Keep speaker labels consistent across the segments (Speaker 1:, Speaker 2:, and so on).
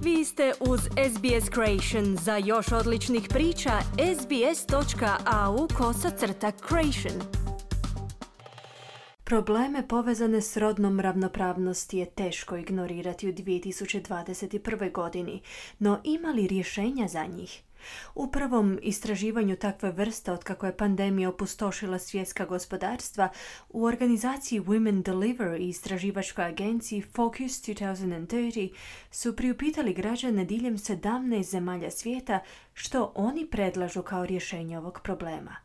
Speaker 1: Vi ste uz SBS Creation. Za još odličnih priča, sbs.au/creation. Probleme povezane s rodnom ravnopravnosti je teško ignorirati u 2021. godini, no ima li rješenja za njih? U prvom istraživanju takve vrste otkako je pandemija opustošila svjetska gospodarstva, u organizaciji Women Deliver i istraživačkoj agenciji Focus 2030 su priupitali građane diljem 17 zemalja svijeta što oni predlažu kao rješenje ovog problema.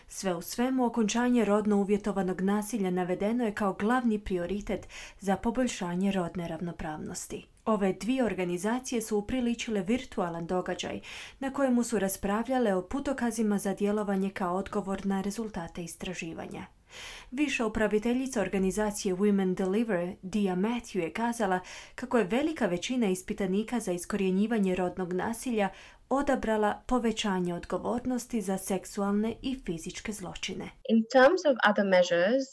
Speaker 1: Sve u svemu, okončanje rodno uvjetovanog nasilja navedeno je kao glavni prioritet za poboljšanje rodne ravnopravnosti. Ove dvije organizacije su upriličile virtualan događaj na kojemu su raspravljale o putokazima za djelovanje kao odgovor na rezultate istraživanja. Viša upraviteljica organizacije Women Deliver, Dia Matthew, je kazala kako je velika većina ispitanika za iskorjenjivanje rodnog nasilja odabrala povećanje odgovornosti za seksualne i fizičke zločine.
Speaker 2: In terms of other measures,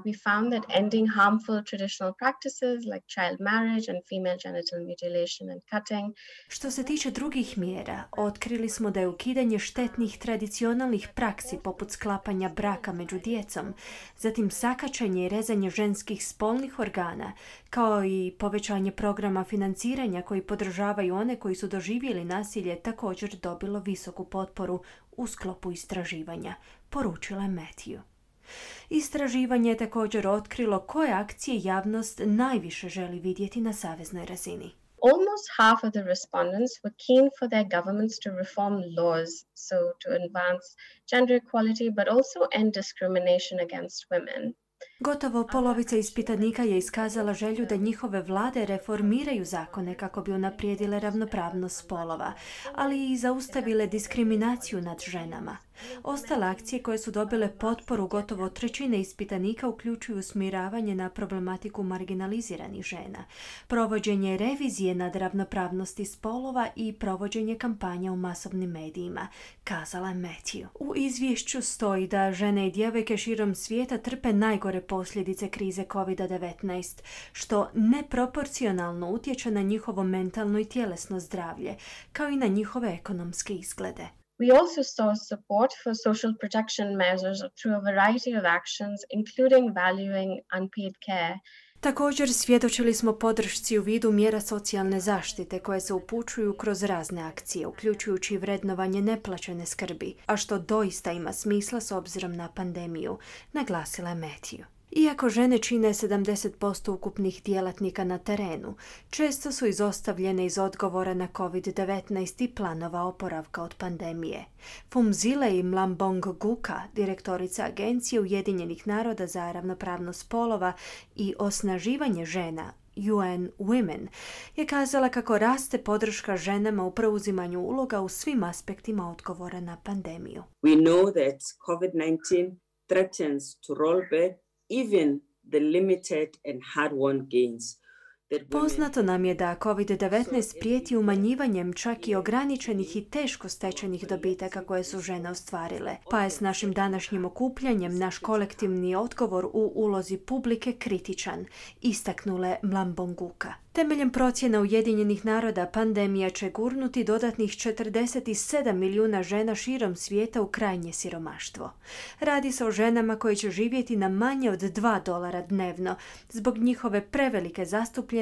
Speaker 2: we found that ending harmful traditional practices like child marriage and female genital mutilation and cutting.
Speaker 1: Što se tiče drugih mjera, otkrili smo da je ukidanje štetnih tradicionalnih praksi poput sklapanja braka među djecom, zatim sakaćenje i rezanje ženskih spolnih organa, kao i povećanje programa financiranja koji podržavaju one koji su doživjeli nasilje, također dobilo visoku potporu u sklopu istraživanja, poručila je Matthew. Istraživanje je također otkrilo koje akcije javnost najviše želi vidjeti na saveznoj razini.
Speaker 2: Almost half of the respondents were keen for their governments to reform laws, so to advance gender equality, but also end discrimination against women.
Speaker 1: Gotovo polovica ispitanika je iskazala želju da njihove vlade reformiraju zakone kako bi unaprijedile ravnopravnost spolova, ali i zaustavile diskriminaciju nad ženama. Ostale akcije koje su dobile potporu gotovo trećine ispitanika uključuju usmjeravanje na problematiku marginaliziranih žena, provođenje revizije nad ravnopravnosti spolova i provođenje kampanja u masovnim medijima, kazala je Matthew. U izvješću stoji da žene i djevojke širom svijeta trpe najgore posljedice krize COVID-19, što neproporcionalno utječe na njihovo mentalno i tjelesno zdravlje, kao i na njihove ekonomske izglede.
Speaker 2: We also saw support for social protection measures through a variety of actions, including valuing unpaid care.
Speaker 1: Također svjedočili smo podršci u vidu mjera socijalne zaštite koje se upućuju kroz razne akcije, uključujući vrednovanje neplaćene skrbi, a što doista ima smisla s obzirom na pandemiju, naglasila je Matthew. Iako žene čine 70% ukupnih djelatnika na terenu, često su izostavljene iz odgovora na COVID-19 i planova oporavka od pandemije. Phumzile Mlambo-Ngcuka, direktorica Agencije Ujedinjenih naroda za ravnopravnost spolova i osnaživanje žena, UN Women, je kazala kako raste podrška ženama u preuzimanju uloga u svim aspektima odgovora na pandemiju.
Speaker 3: We know that COVID-19 threatens to roll back even the limited and hard-won gains.
Speaker 1: Poznato nam je da COVID-19 prijeti umanjivanjem čak i ograničenih i teško stečenih dobitaka koje su žene ostvarile, pa je s našim današnjim okupljanjem naš kolektivni odgovor u ulozi publike kritičan, istaknule Mlambo-Ngcuka. Temeljem procjena Ujedinjenih naroda, pandemija će gurnuti dodatnih 47 milijuna žena širom svijeta u krajnje siromaštvo. Radi se o ženama koje će živjeti na manje od $2 dnevno zbog njihove prevelike zastupljenosti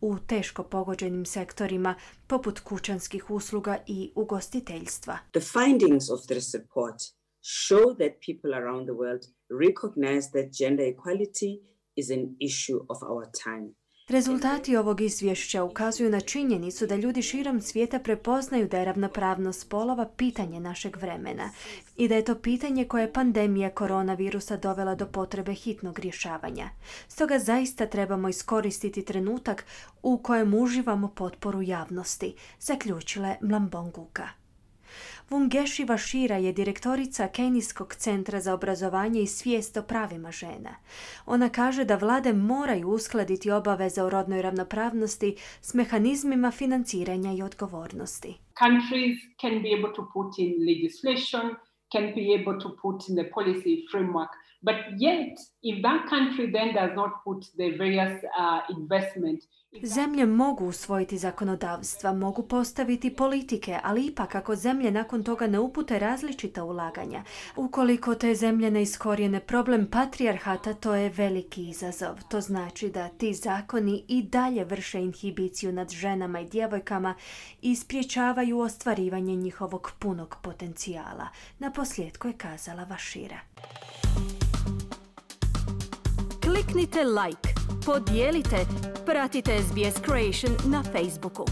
Speaker 1: u teško pogođenim sektorima poput kućanskih usluga i ugostiteljstva.
Speaker 3: The findings of this report show that people around the world recognize that gender equality is an issue of our time.
Speaker 1: Rezultati ovog izvješća ukazuju na činjenicu da ljudi širom svijeta prepoznaju da je ravnopravnost spolova pitanje našeg vremena i da je to pitanje koje je pandemija koronavirusa dovela do potrebe hitnog rješavanja. Stoga zaista trebamo iskoristiti trenutak u kojem uživamo potporu javnosti, zaključila je Mlambo-Ngcuka. Wungeshi Washira je direktorica Kenijskog centra za obrazovanje i svijest o pravima žena. Ona kaže da vlade moraju uskladiti obaveze o rodnoj ravnopravnosti s mehanizmima financiranja i odgovornosti.
Speaker 4: Countries can be able to put in legislation, can be able to put in the policy framework But yet, if that country then does not put the various investment.
Speaker 1: Zemlje mogu usvojiti zakonodavstva, mogu postaviti politike, ali ipak ako zemlje nakon toga ne upute različita ulaganja, ukoliko te zemlje ne iskorijene problem patrijarhata, to je veliki izazov. To znači da ti zakoni i dalje vrše inhibiciju nad ženama i djevojkama i spriječavaju ostvarivanje njihovog punog potencijala. Naposljetku je kazala Vašira. Kliknite like, podijelite, pratite SBS Creation na Facebooku.